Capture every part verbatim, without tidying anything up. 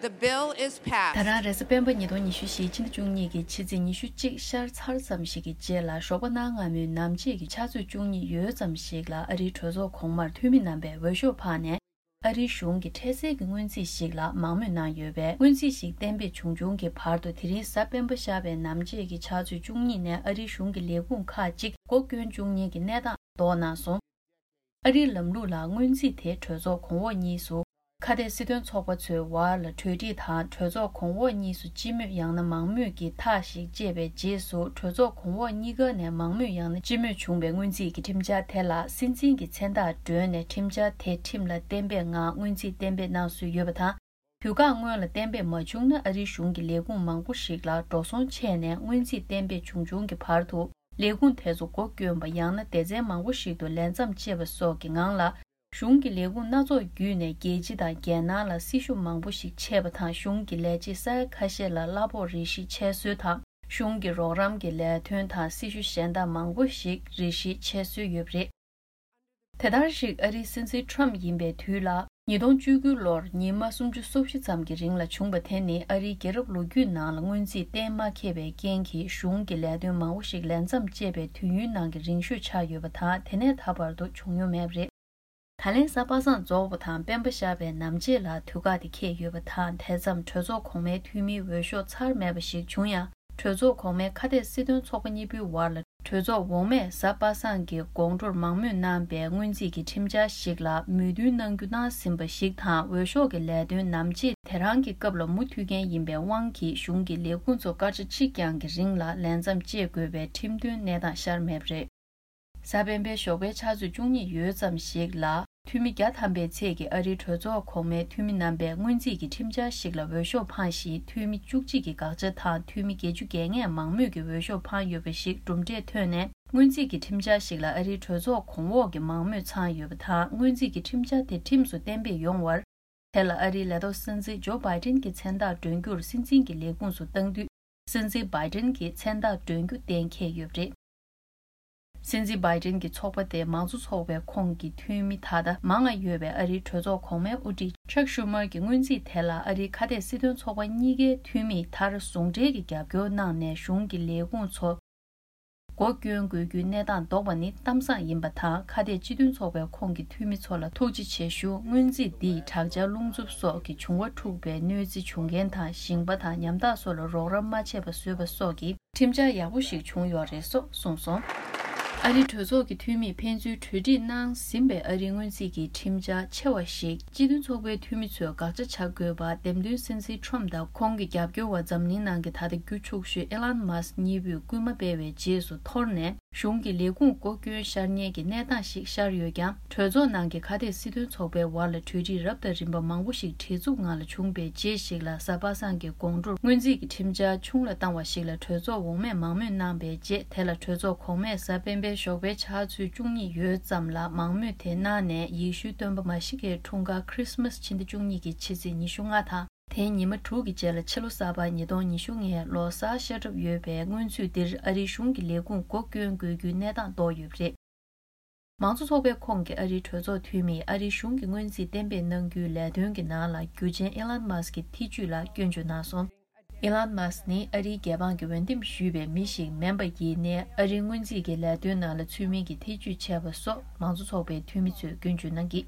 The bill is passed. ད་རང་རེས་གཟའ་སྤེན་པ་ཉིས་སྟོང་ཉི་ཤུ་བཞི་ཕྱི་ཟླ་བཅུ་གཉིས་ཀྱི་ཕྱི་ཚེས་ཉི་ཤུ་གཅིག་ཤར་ཚར་ཙམ་ཞིག་གི་རྗེས་ལ་ཞོགས་པ་གནངས་སྔ་མོའི་ནམ་ཕྱེད་ཀྱི་ཆུ་ཚོད་བཅུ་གཉིས་ཡོལ་ཙམ་ཞིག་ལ་ཨ་རིའི་གྲོས་ཚོགས་གོང་མར་འཐུས་མི་རྣམ་པས་འོས་ཤོག་འཕངས་ནས། ཨ་རིའི་གཞུང་གི་འཕྲལ་སེལ་གྱི་སྔོན་རྩིས་ཤིག་ལ་མང་མོས་གནང་ཡོད་པས། སྔོན་རྩིས་ཤིག་གཏན་འབེབས་བྱུང་བྱུང་གི་བར་དུ་དེ་རིང་གཟའ་སྤེན་པ་ཤར་བའི་ནམ་ཕྱེད་ཀྱི་ཆུ་ཚོད་བཅུ་གཉིས་ནས་ཨ་རིའི་གཞུང་གི་ལས་ཁུངས་ཁག་ཅིག་སྒོ་སྐྱོན་བཅུག་མཁན་གྱི་གནས་སྟངས་ལྡོག་གནང་སོང་། ཨ་རིའི་ལམ་ལུགས་ལ་སྔོན་རྩིས་དེ་གྲོས་ཚོགས་གོང་འོག་གཉིས་སུ་ཁ་གཏད་སྲིད་དོན་ཚོགས་པ་ཚོའི་བར་ལ་གྲོས་འགྲིག་དང་། གྲོས་ཚོགས་གོང་འོག་གཉིས་སུ་སྤྱི་མོས་ཡང་ན་མང་མོས་ཀྱི་ཐག་ཞིག་བཅད་པའི་རྗེས་སུ། གྲོས་ཚོགས་གོང་འོག་གཉིས་ཀ་ནས་མང་མོས་ཡང་ན་སྤྱི་མོས་བྱུང་བའི་སྔོན་རྩིས་ཀྱི་ཁྲིམས་འཆར་དེ་ལ་སྲིད་འཛིན་གྱི་མཚན་རྟགས་བསྒྲོན་ནས། ཁྲིམས་འཆར་དེ་ཁྲིམས་ལ་གཏན་འབེབས་ངང་སྔོན་རྩིས་གཏན་འབེབས་གནང་སྲོལ་ཡོད་པ་དང་། དུས་བཀག་སྔོན་ལ་གཏན་འབེབས་མ་བྱུང་ན། ཨ་རིའི་གཞུང་གི་ལས་ཁུངས་མང་པོ་ཞིག་ལ་འགྲོ་སོང་ཆད་ནས། སྔོན་རྩིས་གཏན་འབེབས་བྱུང་བྱུང་གི་བར་དུ། ལས་ཁུངས་དེ་ཚོ་སྒོ་སྐྱོན་པ་ཡང་ན་སྡེ་ཚན་མང་པོ་ཞིག་ཏུ་ལས་མཚམས་བཅད་པ་སོགས་ཀྱི་ངང་ལ། གཞུང་གི་ལས་ཁུངས་སྣ་ཚོགས་བརྒྱུད་ནས་རྒྱལ་སྤྱི་དང་རྒྱལ་ནང་ལ་སྲི་ཞུ་མང་པོ་ཞིག་ཆད་པ་དང་། གཞུང་གི་ལས་བྱེད་ས་ཡ་ཁ་ཤས་ལ་གླ་ཕོགས་རེ་ཞིག་ཆད་སྲོལ་དང་། གཞུང་གི་རོགས་རམ་གྱི་ལས་དོན་དང་སྲི་ཞུ་གཞན་དག་མང་པོ་ཞིག་རེ་ཞིག་ཆད་སྲོལ་ཡོད་པ་རེད། དེ་ལྟར་ཞིག་ཨ་རིའི་སྲིད་འཛིན་ཁྲོམ་ཡིན་པའི་དུས་ལ། ཉིས་སྟོང་བཅུ་དགུ་ལོར་ཉི་མ་སུམ་ཅུ་སོ་བཞི་ཙམ་གྱི་རིང་ལ་བྱུང་བ་དེ་ནི། ཨ་རིའི་རྒྱལ་རབས་ལོ་རྒྱུས་ནང་ལ་སྔོན་རྩིས་གཏན་མ་འཁེལ་བའི་རྐྱེན་གྱིས། གཞུང་གི་ལས་དོན་མང་པོ་ཞིག་ལས་མཚམས་བཅད་པའི་དུས་ཡུན་ནང་གི་རིང་ཤོས་ཆགས་ཡོད་པ་དང་། དེ་ནས་ད་བར་དུ་བྱུང་མྱོང་མེད་པ་རེད། ད་ལན་གཟའ་པ་སངས་རྫོགས་པ་དང་སྤེན་པ་ཤར་བའི་ནམ་ཕྱེད་ལ་དུས་བཀག་དེ་འཁེལ་ཡོད་པ་དང་། དེ་མཚམས་གྲོས་ཚོགས་གོང་མའི་འཐུས་མིའི་འོས་ཤོག་ཚར་མེད་པ་ཞིག་བྱུང་ཡང་། གྲོས་ཚོགས་གོང་མའི་ཁ་གཏད་སྲིད་དོན་ཚོགས་པ་གཉིས་པོའི་བར་ལ། གྲོས་ཚོགས་འོག་མས་གཟའ་པ་སངས་ཀྱི་དགོང་དྲོར་མང་མོས་གནང་པའི་སྔོན་རྩིས་ཀྱི་ཁྲིམས་འཆར་ཞིག་ལ་མོས་མཐུན་གནང་རྒྱུ་གནང་ཟིན་པ་ཞིག་དང་། འོས་ཤོག་གི་ལས་དོན་ནམ་ཕྱེད་དེ་རང་གི་སྐབས་ལ་མུ་མཐུད་མཁན་ཡིན་པའི་དབང་གིས། གཞུང་གི་ལས་ཁུངས་ཚོ་སྐར་ཆ་གཅིག་རྐྱང་གི་རིང་ལ་ལས་མཚམས་བཅད་དགོས་པའི་ཁྲིམས་མཐུན་གནས་སྟངས་ཤར་མེད་པ་རེད། གཟའ་སྤེན་པའི་ཞོགས་པའི་ཆུ་ཚོད་བཅུ་གཉིས་ཡོལ་ཙམ་ཞིག་ལ། འཐུས་མི་བརྒྱ་ཐམ་པའི་ཚད་ཀྱི་ཨ་རིའི་གྲོས་ཚོགས་གོང་མའི་འཐུས་མི་རྣམ་པས་སྔོན་རྩིས་ཀྱི་ཁྲིམས་འཆར་ཞིག་ལ་འོས་ཤོག་འཕངས་ཤིང་། འཐུས་མི་བཅུ་གཅིག་གིས་དགག་བྱ་དང་། འཐུས་མི་བརྒྱད་ཅུ་གྱ་ལྔས་མང་མོས་ཀྱི་འོས་ཤོག་འཕངས་ཡོད་པ་ཞིག་གྲུབ་འབྲས་ཐོན་ནས། སྔོན་རྩིས་ཀྱི་ཁྲིམས་འཆར་ཞིག་ལ་ཨ་རིའི་གྲོས་ཚོགས་གོང་འོག་གི་མང་མོས་ཚང་ཡོད་པ་དང་། སྔོན་རྩིས་ཀྱི་ཁྲིམས་འཆར་དེ་ཁྲིམས་སུ་གཏན་འབེབས་ཡོང་བར། དེ་ལ་ཨ་རིའི་ལས་ཐོག་སྲིད་འཛིན་ཇོ་བྷའི་ཏིན་གྱི་མཚན་རྟགས་སྒྲོན་རྒྱུར་སྲིད་འཛིན་གྱི་ལས་ཁུངས་སུ་བཏང་དུས། སྲིད་འཛིན་བྷའི་ཏིན་གྱི་མཚན་རྟགས་སྒྲོན་རྒྱུ་གཏན་འཁེལ་ཡོད་པ་རེད། སྲིད་འཛིན་བྷའི་ཏིན་གྱི་ཚོགས་པ་དེ་མང་གཙོ་ཚོགས་པའི་ཁོངས་ཀྱི་འཐུས་མི་ད་ལྟ་མང་ང་ཡོད་པའི་ཨ་རིའི་གྲོས་ཚོགས་གོང་མའི་དབུ་ཁྲིད་ཅག་ཤུ་མར་གྱི་སྔོན་རྩིས་དེ་ལ་ཨ་རིའི་ཁ་གཏད་སྲིད་དོན་ཚོགས་པ་གཉིས་ཀའི་འཐུས་མིས་མཐར་ཟུང་འབྲེལ་གྱི་རྒྱབ་སྐྱོར་གནང་ནས། གཞུང་གི་ལས་ཁུངས་ཚོ་སྒོ་སྐྱོན་དགོས་རྒྱུའི་གནས་སྟངས་ལྡོག་པ་ནི་གཏམ་བཟང་ཡིན་པ་དང་། ཁ་གཏད་སྤྱི་མཐུན་ཚོགས་པའི་ཁོངས་ཀྱི་འཐུས་མི་ཚོ་ལ་ཐུགས་རྗེ་ཆེ་ཞུ། སྔོན་རྩིས་འདིས་དྲག་ཆར་རླུང་འཚུབ་སོགས་ཀྱི་འབྱུང་བ་འཁྲུགས་པའི་གནོད་འཚེ་བྱུང་མཁན་དང་། ཞིང་པ་དང་ཉམ་ཐག་སོགས་ལ་རོགས་རམ་མ་བྱས་པ་བཟོས་པ་སོགས་ཀྱི་ཁྲིམས་འཆར་ཡག་པོ་ཞིག་བྱུང་ཡོད་རེད་སོགས་གསུངས་སོང་། ཨ་རིའི་གྲོས་ཚོགས་ཀྱི་འཐུས་མིས་ཕན་ཚུན་གྲོས་འགྲིག་གནང་ཟིན་པའི་ཨ་རིའི་སྔོན་རྩིས་ཀྱི་ཁྲིམས་འཆར་ཆེ་བ་ཞིག་སྤྱི་མཐུན་ཚོགས་པའི་འཐུས་མི་ཚོས་དགག་བྱ་བྱ་དགོས་པ། འདེམས་ཐོན་སྲིད་འཛིན་ཁྲོམ་དང་ཁོང་གི་རྒྱབ་སྐྱོར་བ་འཛམ་གླིང་ནང་གི་ད་ལྟ་རྒྱུ་ཕྱུག་ཤོས་ཨེ་ལན་མཱ་སི་གཉིས་པོས་སྐུལ་མ་སྤེལ་བའི་རྗེས་སུ་འཐོར་ནས། གཞུང་གི་ལས་ཁུངས་སྒོ་སྐྱོན་ཤར་ཉེན་གྱི་གནས་སྟངས་ཤིག་ཤར་ཡོད་ཀྱང་། གྲོས་ཚོགས་ནང་གི་ཁ་གཏད་སྲིད་དོན་ཚོགས་པའི་བར་ལ་གྲོས་འགྲིག་རབ་དང་རིམ་པ་མང་པོ་ཞིག་བྲེལ་འཚུབ་ངང་ལ་བྱུང་པའི་རྗེས་ཤིག་ལ། གཟའ་པ་སངས་ཀྱི་དགོང་དྲོར་སྔོན་རྩིས་ཀྱི་ཁྲིམས་འཆར་ཆུང་ལ་བཏང་བ་ཞིག་ལ་གྲོས་ཚོགས་འོག་མས་མང་མོས་གནང་པའི་རྗེས། དེ་ལ་གྲོས་ཚོགས་གོང་མས་གཟའ་སྤེན་པའི་ཞོགས་པའི་ཆུ་ཚོད་བཅུ་གཉིས་ཡོལ་ཙམ་ལ་མང་མོས་དེ་གནང་ནས། ཡེ་ཤུའི་སྟོན་པ་མཱ་ཤི་ཀའི་འཁྲུངས་སྐར་ཁྲི་སི་མཱ་སི་ཕྱི་ཟླ་བཅུ་གཉིས་ཀྱི་ཕྱི་ཚེས་ཉི་ཤུ་ལྔ་དང་། དེའི་ཉི་མ་དྲུག་གི་རྗེས་ལ་ཕྱི་ལོ་གསར་པ་ཉིས་སྟོང་ཉི་ཤུ་ལྔའི་ལོ་གསར་ཤར་གྲབས་ཡོད་པའི་སྔོན་ཚུད་འདིར་ཨ་རིའི་གཞུང་གི་ལས་ཁུངས་སྒོ་སྐྱོན་དགོས་རྒྱུའི་གནས་སྟངས་ལྡོག་ཡོད་པ་རེད། མང་གཙོ་ཚོགས་པའི་ཁོངས་ཀྱི་ཨ་རིའི་གྲོས་ཚོགས་འཐུས་མིས་ཨ་རིའི་གཞུང་གི་སྔོན་རྩིས་གཏན་འབེབས་གནང་རྒྱུའི་ལས་དོན་གྱི་ནང་ལ་རྒྱུ་ཆེན་ཨི་ལན་མཱ་སི་ཀྱི་ཐེ་ཇུས་ལ་སྐྱོན་བརྗོད་གནང་སོང་། ཨི་ལན་མཱ་སི་ནི་ཨ་རིའི་རྒྱལ་འབངས་ཀྱིས་འོས་འདེམས་ཞུས་པའི་མི་ཞིག་མིན་པ་ཡིན་ནའི། ཨ་རིའི་སྔོན་རྩིས་ཀྱི་ལས་དོན་ནང་ལ་ཚུད་མིན་གྱི་ཐེ་ཇུས་བྱས་པ་སོགས་མང་གཙོ་ཚོགས་པའི་འཐུས་མི་ཚོས་སྐྱོན་བརྗོད་གནང་གིས།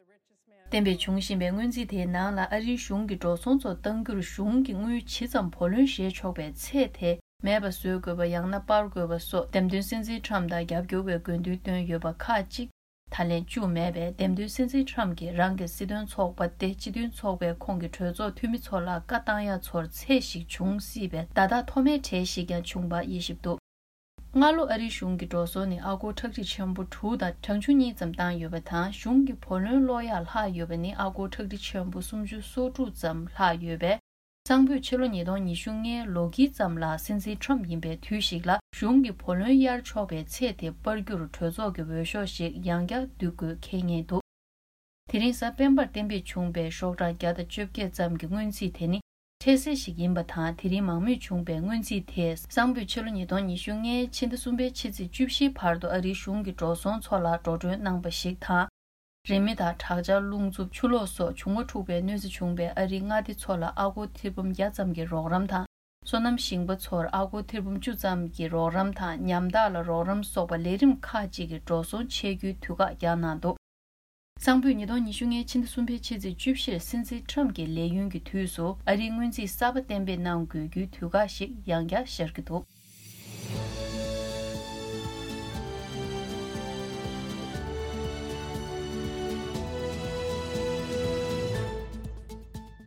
གཏན་འབེབས་བྱུང་བཞིན་པའི་སྔོན་རྩིས་དེའི་ནང་ལ་ཨ་རིའི་གཞུང་གི་འགྲོ་སོང་ཚོ་གཏང་རྒྱུར་གཞུང་གི་དངུལ་ཇི་ཙམ་བུ་ལོན་བཞེས་ཆོག་པའི་ཚད་དེ་མེད་པ་བཟོ་དགོས་པ་ཡང་ན་སྤར་དགོས་པ་སོགས། འདེམས་ཐོན་སྲིད་འཛིན་ཁྲོམ་དང་རྒྱབ་སྐྱོར་བའི་དགོས་འདུན་བཏོན་ཡོད་པ་ཁག་ཅིག་ད་ལན་བཅུག་མེད་པས། འདེམས་ཐོན་སྲིད་འཛིན་ཁྲོམ་གྱིས་རང་གི་སྲིད་དོན་ཚོགས་པ་སྟེ་སྤྱི་མཐུན་ཚོགས་པའི་ཁོངས་ཀྱི་གྲོས་ཚོགས་འཐུས་མི་ཚོ་ལ་བཀའ་བཏང་ཡ་ཚོར་ཚད་ཞིག་བྱུང་སྲིད་པའི་བརྡ་རྟགས་མཐོ་དམའི་གྲས་ཤིག་ཀྱང་བྱུང་པ་དབྱེ་ཞིབ་འདུག་སྔ་ལོ་ཨ་རིའི་གཞུང་གི་འགྲོ་སོང་ནི་ཨ་སྒོར་ཁྲག་ཁྲིག་ཆེན་པོ་དྲུག་དང་གྲངས་ཆུང་གཉིས་ཙམ་བཏང་ཡོད་པ་དང་། གཞུང་གི་བུ་ལོན་ཀློག་ཡག་ལྷག་ཡོད་པ་ནི་ཨ་སྒོར་ཁྲག་ཁྲིག་ཆེན་པོ་སུམ་ཅུ་སོ་དྲུག་ཙམ་ལྷག་ཡོད་པས། གཙང་པོས་ཕྱི་ལོ་ཉིས་སྟོང་ཉི་ཤུ་ལྔའི་ལོ་དཀྱིལ་ཙམ་ལ་སྲིད་འཛིན་ཁྲོམ་ཡིན་པའི་དུས་ཤིག་ལ་གཞུང་གི་བུ་ལོན་གཡར་ཆོག་པའི་ཚད་དེ་སྤར་རྒྱུར་གྲོས་ཚོགས་ཀྱི་འོས་ཤོག་ཞིག་ཡང་བསྐྱར་བསྡུ་དགོས་འཁེལ་ངེས་འདུག་དེ་རིང་གཟའ་སྤེན་པར་གཏན་འབེབས་བྱུང་པའི་ཤོག་གྲངས་བརྒྱ་དང་བཅོ་བརྒྱད་ཙམ་གྱི་སྔོན་རྩིས་དེ་ནི་འཕྲལ་སེལ་ཞིག་ཡིན་པ་དང་། དེ་རིང་མང་མོས་བྱུང་པའི་སྔོན་རྩིས་དེས་གཙང་པོས་ཕྱི་ལོ་ཉིས་སྟོང་ཉི་ཤུ་ལྔའི་ཕྱི་ཟླ་གསུམ་པའི་ཕྱི་ཚེས་བཅུ་བཞིའི་བར་དུ་ཨ་རིའི་གཞུང་གི་འགྲོ་སོང་ཚོ་ལ་འགྲོ་གྲོན་གནང་པ་ཞིག་དང་། རི་མེ་དང་དྲག་ཆར། རླུང་འཚུབ། ཆུ་ལོག་སོགས་བྱུང་བ་འཁྲུགས་པའི་གནོད་འཚེ་བྱུང་བའི་ཨ་རིའི་མངའ་སྡེ་ཚོ་ལ་ཨ་སྒོར་ཐེར་འབུམ་བརྒྱ་ཙམ་གྱི་རོགས་རམ་དང་། སོ་ནམ་ཞིང་པ་ཚོར་ཨ་སྒོར་ཐེར་འབུམ་བཅུ་ཙམ་གྱི་རོགས་རམ་དང་། ཉམ་ཐག་ལ་རོགས་རམ་སོགས་པ་ལས་རིམ་ཁག་ཅིག་གི་འགྲོ་སོང་ཆད་རྒྱུའི་དུས་བཀག་བསྐྱངས་གནང་འདུག། གཙང་པོས་ཉིས་སྟོང་ཉི་ཤུ་ལྔའི་ཕྱི་ཟླ་གསུམ་པའི་ཕྱི་ཚེས་བཅུ་བཞིར་སྲིད་འཛིན་ཁྲམ་གྱི་ལས་ཡུན་གྱི་དུས་སུ། ཨ་རིའི་སྔོན་རྩིས་གསར་པ་གཏན་འབེབས་གནང་དགོས་རྒྱུའི་དུས་བཀག་ཞིག་ཡང་བསྐྱར་ཤར་གྱི་འདུག།